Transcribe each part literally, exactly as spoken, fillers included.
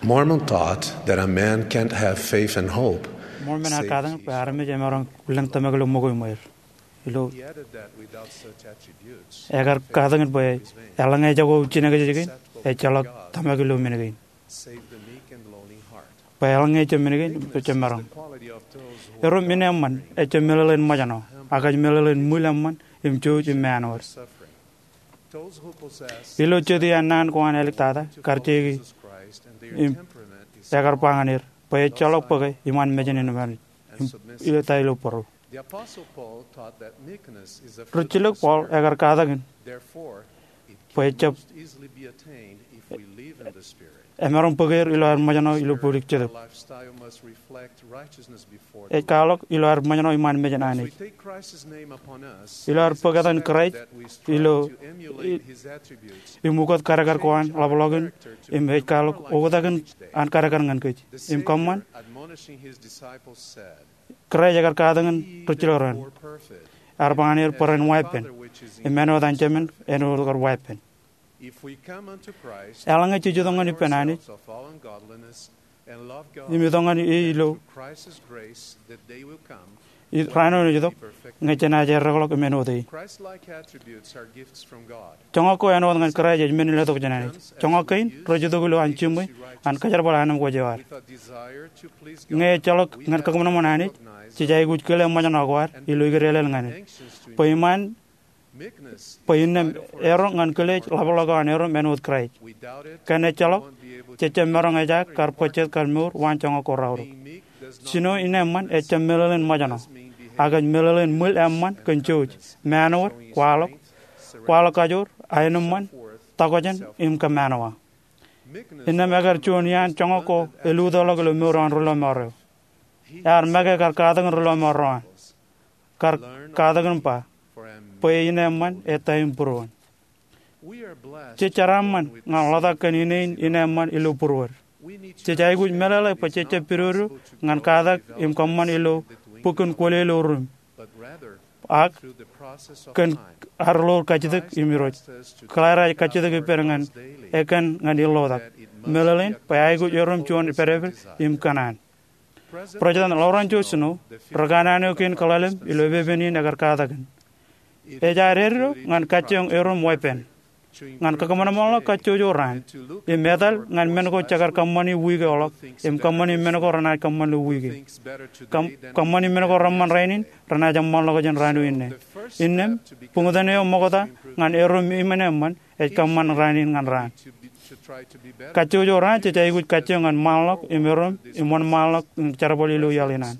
Mormon taught that a man can't have faith and hope. Mormon ear katak bwe armej emaroñ lōñ tōmak ilo ṃōko iṃweir. Ilo ekar katak bwe eḷaññe ejako jinōkjeje kein, ejjeḷọk tōmak ilo men kein. Bwe eḷaññe ejjab men kein, ejjab maroñ. Erom in eṃṃan ejjab meḷeḷein ṃōjṇọ, ak ej meḷeḷein ṃwil eṃṃan im jouj im ṃaanwōd. Ilo jet iaan naan ko an āliktata, kar jeiki im ekar ba ñan er bwe ejjeḷọk bōke iṃaan mejān in ṃōjṇọ im ilo ta ilo būruō. Rijjilōk Paul ekar katakin bwe ejjab emaroñ bōk er ilo aer ṃōjṇọ ilo bōlik jetōb. Ej kwaḷọk ilo aer ṃōjṇọ iṃaan mejān Anij. Ilo aer bōk etan Kraist ilo im ukōt kadkad ko an ḷapḷọk in, im ej kwaḷọk oktak in an kadkad ñan kōj. Im kōṃṃan Kraist ekar katakin rijjilōk ro an, ear ba ñan er bwe ren waeppān, im āinwōt an Jemān āinwōt kar waeppān. Eḷaññe jej itok ñan ippān Anij im itok ñan e ilo raan eo ej itok, ñe jenaaj erreḷọk im āinwōt e. Joñak ko āinwōt ñan Kraist ej men in letok jān Anij. Joñak kein rej itok ilo an jiṃwe an kōjerbal anemkwōj eo ad. Ñe ejjeḷọk ñan kōṃanṃan Anij, jej aikuj kile ṃōjṇọ ko ad ilo ikedālel ñan e. Bwe iṃaan bwe innām eroñ ñan kilej ḷapḷọk eo an erom āinwōt Kraist. Kōn ejjeḷọk, jejjab maroñ ejaak kar bōk jet kar mour waan joñak ko raorōk. Jino in eṃṃan ejjab meḷeḷein ṃōjṇọ, ak ej meḷeḷein ṃwil eṃṃan kōn jouj, ṃaanwōd, kwaḷọk, kwaḷọk kajoor, aenōṃṃan, tokjān im kōṃanwa. Innām ekar juon iaan joñak ko elutōḷọk ilo mour eo an ri lọmọọr eo. Ear make kar katakin ri lọmọọr ro an. Kar katakin ba, bwe in eṃṃan ej ta im būruon. Jej jeraaṃṃan ñan ḷotak kōn ine in in eṃṃan ilo būruod. Jej aikuj meḷeḷe bwe jejjab pidodo ñan katak im kōṃṃan ilo bukun kwōle ilo rum, ak kōn ad ḷoor kajjitōk im Irooj. Kōḷaer ej kajjitōk ippān ñan ekōn ñan illotak, meḷeḷein bwe aikuj erom juon pedped im kōṇaan. President Loren J. Snow, ri kanaan eo kein kōḷalem ilo epepen in, ekar katakin, ej aer eddo ñan kajjioñ erom weeppān, ñan kakōṃanṃanḷọk kajjojo raan, im etal ñan men ko jekar kōṃṃani wiik eo ḷọk, im kōṃṃani men ko renaaj kōṃṃan ilo wiik e. Kōṃ- kōṃṃani men ko reṃṃan rainin renaaj eṃṃanḷọk jān raan eo inne. Innām, buñtōn eo ṃokta ñan erom im in eṃṃan ej kōṃṃan raan in ñan raan. Kajjojo raan jej aikuj kajjioñ ñan ṃaanḷọk im erom im wōnṃaanḷọk im jerbal ilo iaḷ in an.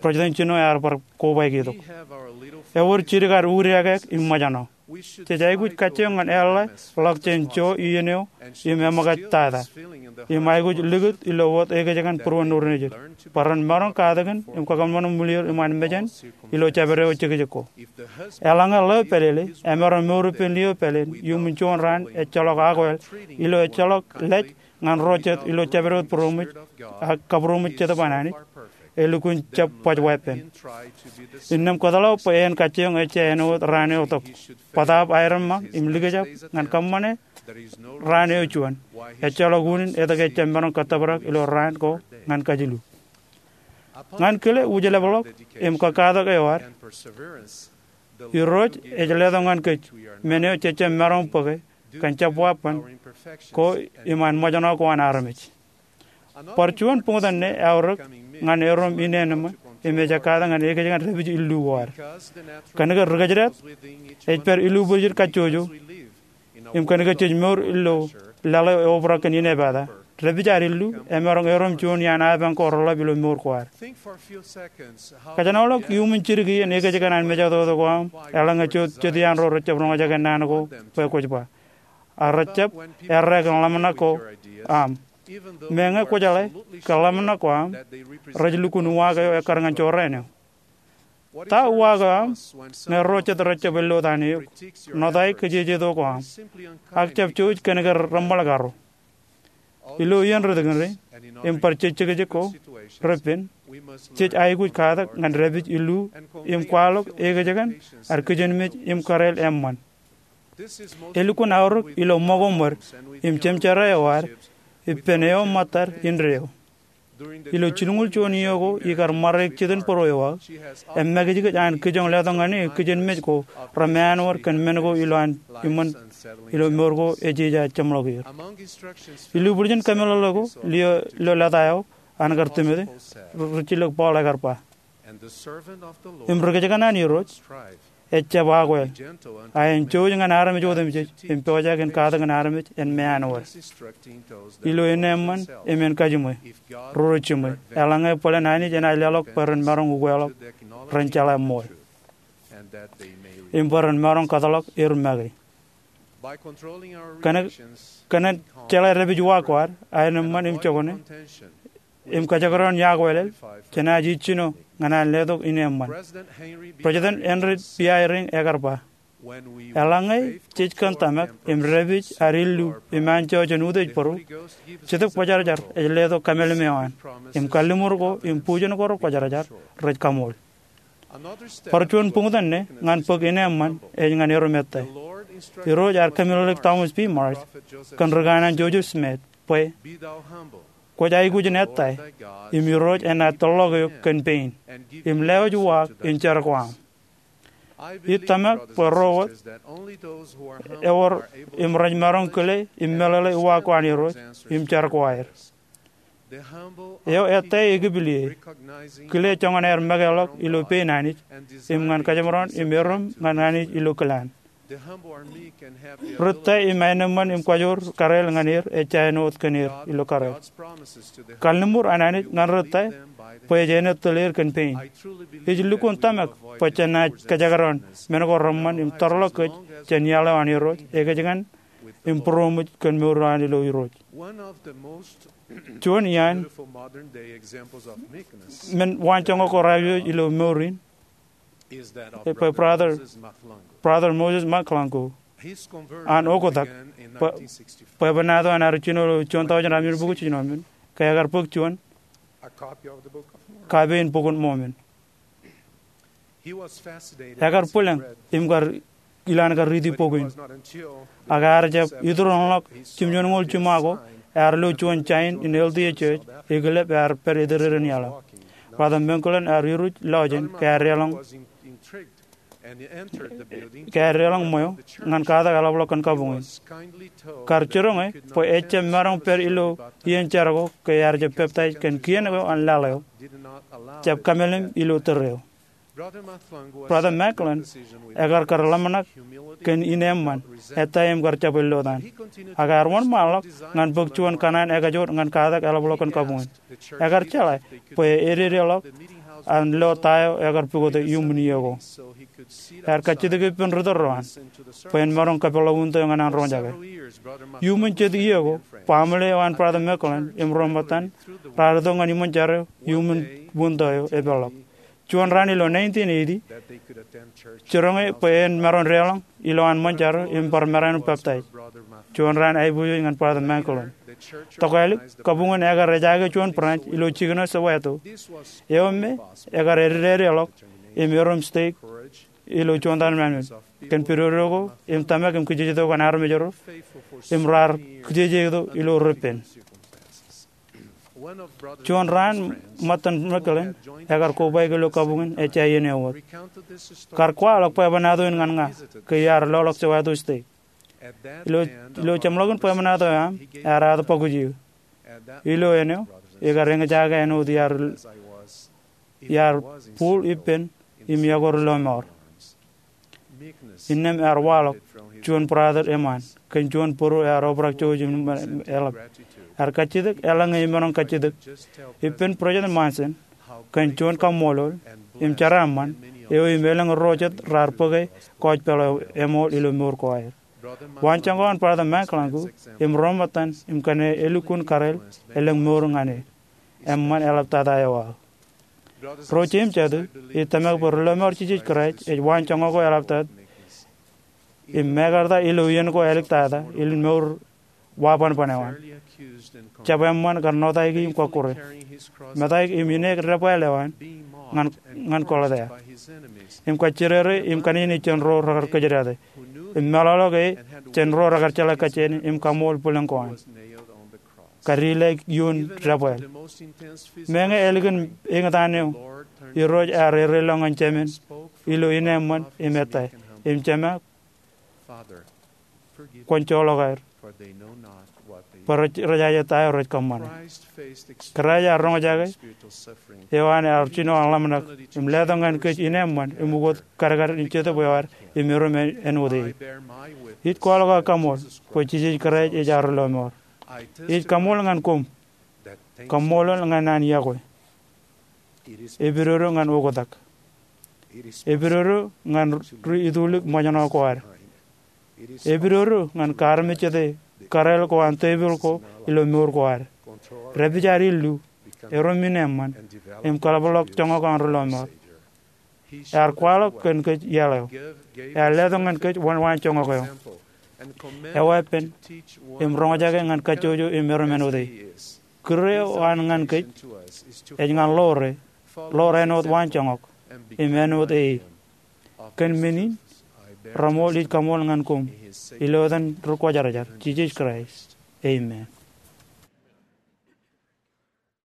President Snow ear bar kobaik itok, ewōr jidik ad udiakek im ṃōjṇọ. Jej aikuj kajjioñ ñan eḷḷā ḷọk jān jo iien eo im eṃōkaj tata, im aikuj likūt ilo wōt ekōjkan būruon ṇoor nejid, bwe ren maroñ katakin im kakōṃanṃan ṃwileer iṃaan mejān ilo jabdewōt jekjek ko. Eḷaññe ḷeo pālele emaroñ mour ippān liō pāleen iuṃwin juon raan ejjeḷọk akweḷ ilo ejjeḷọk lej ñan ro jet ilo jabdewōt būroṃōj ak kabūroṃōj Jetōb an Anij, elukkuun jab baj weeppān. Innām kōtḷọk bwe en kajjioñ ejja āinwōt raan eo tok, bōtaab aerōmañ im likjab ñan kōṃṃane raan eo juon. Ejjeḷọk unin etke ejjab maroñ kōttōprak ilo raan ko ñan kajilu. Ñan kile wūjlepḷọk im kōkkatak eo ad, Irooj ej letok ñan kōj men eo jejjab maroñ bōke kōn jab waban ko iṃaan ṃōjṇọ ko an armej. Bar juon buñtōn ṇe eaorōk ñan erom in eṃṃan im ej ekkā ñan ekōjkan dāpij illu ko ad. Kōnke ri kōjdat ej pād ilubwiljin kajjojo, im kōnke jej mour ilo laḷ eo eobrak kōn inepata, dāpij ad illu emaroñ erom juon iaan apañ ko reḷap ilo mour ko ad. Kōjenoḷọk iuṃwin jidik iien ekōjkan an mejatoto ko aṃ eḷaññe jet iaan ro rejjab roñjake naan ko bwe kwōj ba, ak rejjab errā kōn ḷōmṇak ko aṃ. Meñe kwōjeḷā ke ḷōmṇak ko aṃ rej lukkuun uwaak eo ekkar ñan jorrāān eo. Ta uwaak eo aṃ ñe ro jet rejjab ellotaan eok, ṇotaik kōjiejeto ko aṃ, ak jab jouj kōnke reṃṃan karo? Ilo iien ri tikōn rein im bar jejjekjek ko repen, jej aikuj katak ñan dāpij illu im kwaḷọk ekōjkan ad kijenmej im kōrāāl eṃṃan. Elukkuun aorōk ilo ṃōko ṃwed im jemjerā eo ad ippān eo ṃōttad indeeo. Ilo jilñuul juon iiō ko ikar ṃare jitin būruō eo aō, eṃṃakijkij an kijoñ letok ñan e kijenmej ko reṃṃan wōr kōn men ko ilo an iṃōn ilo mour ko ej ij jeṃḷọk er. Ilo ibwiljin kameḷeḷe ko ilo lōta eo an kar tōmōte, rijjilōk Paul ekar ba, im ri kōjkan an Irooj ejjab akwāāl, a en jouj ñan armej otemjej im pojak in katakin armej en ṃaan wōt. Ilo eṇ eṃṃan im en kajiṃwe, ri ro jiṃwe, eḷaññe bōlen Anij enaaj leḷọk bwe ren maroñ ukeḷọk, ren jeḷā ṃool, im bwe ren maroñ kōtḷọk er make. Kōn, kōn jeḷā dāpij uwaak ko ad, aenōṃṃan im jokwane, im kajekdọọn iakwālel, jenaaj ij jino ñan an letok ineeṃṃan. President Henry B. Eyring ekar ba, eḷaññe jej kōn tōmak im dāpij ad illu im anjọ jān utiej bōro, Jetōb Kwōjarjar ej letok kōmālim eo an, im kalliṃur ko im bujen ko rekwōjarjar rej kaṃool. Bar juon buñtōn ṇe ñan bōk ineeṃṃan ej ñan erom ettā. Irooj ear kōmeḷeḷeik Thomas B. Marsh kōn ri kanaan Joseph Smith bwe, kwōj aikuj in ettā, im Irooj enaaj tōrḷọk eok kōn pein, im lewōj uwaak in jar ko aṃ. Ij tōmak bwe ro wōt ewōr im rej maroñ kile im meḷeḷe uwaak ko an Irooj im jar ko aer. Eo ettā ekipel ie, kile joñan aer mekeḷọk ilo pein Anij, im ñan kōjemaroñ im erom ñan Anij ilo kilaan. Ritōl im aenōṃṃan im kajoor kōrā ñan er ejja āinwōt kōn er ilo kōrā. Kalliṃur an Anij ñan ritōl bwe ej āinwōt tōl er kōn pein. Ij lukkuun tōmak bwe jenaaj kōjekdọọn men ko reṃṃan im tōrḷọk kōj jān iaḷ eo an Irooj, ekōjkan im būroṃōj kōn mour eo an ilo Irooj. Juon iaan men waanjoñak ko raar iwōj ilo mour in, bwe Brother, Brother Moses McClung ko an oktak bwe, bwebwenato an ad jino ilo juon tọujin ratimjuonbukwi jiljino men, ke ekar bōk juon kape in Bukun Mōmen. Ekar bwilōñ im kar ilowaan kar riiti bok in. Ak ear jab iturūḷọk jimjuonñoul jiṃa ko ear lo juon jain in L D S Church, ekilep ear pād itededein iaḷ eo. Brother McClung ear iruj lọjien ke ear deḷọñ, ke ear deḷọñ ṃweo ñan katak eḷapḷọk kōn kabuñ in. Kar jiroñ e bwe ejjab maroñ pād ilo iien jar ko ke ear jab peptaij kōn kien ko an laḷ eo, jab kōmālim ilo tōre eo. Brother McClung ekar kar ḷōmṇak kōn ineeṃṃan ettā im kar jab ellotaan. Ak ear wōnṃaanḷọk ñan bōk juon kōṇaan ekajoor ñan katak eḷapḷọk kōn kabuñ in. Ekar jeḷā bwe ededeḷọk an lo ta eo ekar pukot iuṃwin iiō ko. Ear kajjitōk ippān ri tōl ro an bwe en maroñ kapeḷḷọk winto eo ñan an roñjake. Iuṃwin jet iiō ko, baaṃle eo an Brother McClung im ro ṃōttan raar itok ñan iṃōn jar eo iuṃwin winto eo epeḷḷọk. Juon raan ilo nineteen eighty, jiroñ e bwe en maroñ deḷọñ ilowaan ṃōn jar eo im bar maraan peptaij. Juon raan aiboojoj ñan Brother McClung. Tokālik, kabuñ in ekar ejaake juon branch ilo jikin eo Soweto, eo me ekar ededeḷọk im erom stake ilo juon tarrin men kōn pidodo ko im tōmak im kijejeto ko an armej ro im raar kijejeto ilo repen. Juon raan ṃōttan McClung ekar kobaik ilo kabuñ in ejja iien eo wōt. Kar kwaḷọk bwebwenato in ñan ña ke iar loḷọk Soweto stake. Ilo, ilo jeṃḷọkin bwebwenato eo aṃ, ear aō bōk ijin. Ilo eṇ eo, ikar eñjake āinwōt iar, iar bōk ippān im iọkwe ri lọmọọr. Innām ear waḷọk juon brother eṃṃaan kōn juon bōro ear obrak jouj im eḷap. Ear kajjitōk eḷaññe emaroñ kajjitōk ippān President Monson kōn juon kaṃṃoolol im jeraaṃṃan eo im elōñ ro jet raar bōke kọjpeḷ eo eṃool ilo mour ko aer. Waanjoñak ko an Brother McClung im ro ṃōttan im kōn elukkuun kareel elōñ mour ñan e. Eṃṃan eḷaptata eo aō. Ro jeiū im jatū, ij tōmak bwe ri lọmọọr Jisōs Kraist ej waanjoñak ko eḷaptata im mekarta ilo iien ko āliktata in mour wabanban eo an. Jab eṃṃan kar nōtaiki im kọkkure, metaik im ineek debwāāl eo an ñan, ñan kōḷtā, im kajjidere im kanejene jān ro rekar kōjdate, im meḷọkḷọk e jān ro rekar jeḷā kajjien im kaṃool bwilōñ ko an. kadilaik ioon debwāāl. Meñe ālikin eñtaan eo, Irooj ear ereḷọk ñan Jemen ilo ineeṃṃan im ettā, Im Jema, kwōn joḷọk aer, bwe rej jaje ta eo rej kōṃṃane. Kraist ear roñjake eo an ear jino aḷōmṇak im letok ñan kōj ineeṃṃan im ukōt kadkad in Jetōb eo ad im erom āinwōt e. Ij kwaḷọk aō kaṃool bwe Jisōs Kraist ej aō Ri-lọmọọr. Ij kaṃool ñan koṃ. Kaṃṃoolol ñan an yokwe. Epidodo ñan oktak. Epidodo ñan ri-itulik ṃōjṇọ ko ad. Epidodo ñan kaarmejjete kōrāāl ko an tepil ko ilo mour ko ad. Dāpij ad illu, erom ineeṃṃan, im kaḷapḷọk joñak an Ri-lọmọọr. Ear kwaḷọk kōn kōj iaḷ eo. Ear letok ñan kōj wōnwaan joñak eo. Eweeppān im roñjake ñan kajjojo im erom āinwōt e. Kūr eo an ñan kōj ej ñan ḷoore, ḷoor āinwōt wānjoñak, im āinwōt e. Kōn men in, reṃool ij kaṃool ñan koṃ, ilo etan Ri-Kwōjarjar, Jisōs Kraist. Amen.